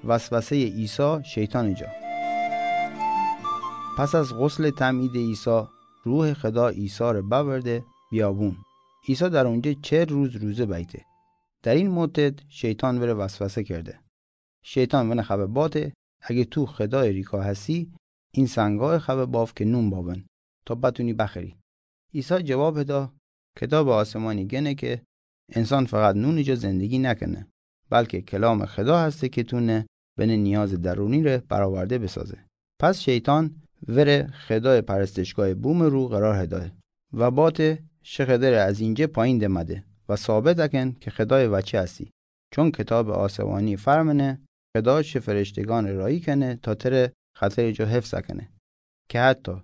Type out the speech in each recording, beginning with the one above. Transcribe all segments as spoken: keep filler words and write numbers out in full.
وسوسهٔ عیسی شیطانٚ جا. پس از غسلٚ تعمیدٚ عیسی، روحٚ خدا عیسی‌ره بأورده بیابون. عیسی در اونجه چهل روز روزه بیته. در این مدت شیطان وره وسوسه کرده. شیطان ونه خبه باته، اگه تو خدایٚ ریکا هسی، این سنگا خبه باف که نون بابن، تا بتونی بخوری. عیسی جواب هدا، کتابٚ آسمانی گنه که انسان فقط نونٚ جا زندگی نکنه، بلکه کلامٚ خدا هسته که تونه بنه نیازٚ درونی‌ره برآورده بسازه. پس شیطان وره خدایٚ پرستشگاهٚ بومٚ رو قرار هدایه و باته شه خدره از اینجه پایین دمده و ثابت اکن که خدایٚ وچه هستی. چون کتابٚ آسمانی فرمنه، خدا شه فرشتگانٚ راهی کنه تا تره خطرٚ جا حفظ اکنه، که حتی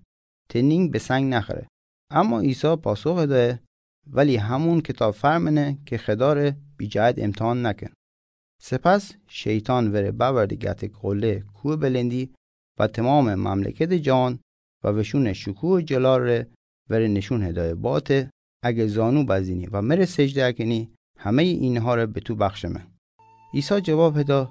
ته نینگ به سنگ نخوره. اما عیسی پاسخ دایه، ولی همون کتاب فرمنه که خداره بی جهت امتحان نکن. سپس شیطان وره بأورده گتک قله کوهٚ بلندی و تمامٚ مملکتٚ جهان و وشونٚ شکوه و جلال ره وره نشون هدایه باته، اگه زانو بزینی و مره سجده اکنی، همه‌یٚ اینها ره به تو بخشمه. عیسی جواب هدا،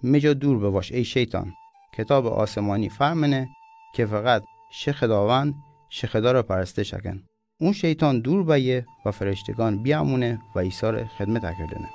می جا دور بواش ای شیطان، کتابٚ آسمانی فرمنه که فقط شه خداوند، شه خدا ره پرستش اکن. اون شیطان دور بایه و فرشتگان بیامونه و عیسی ره خدمت اکردنه.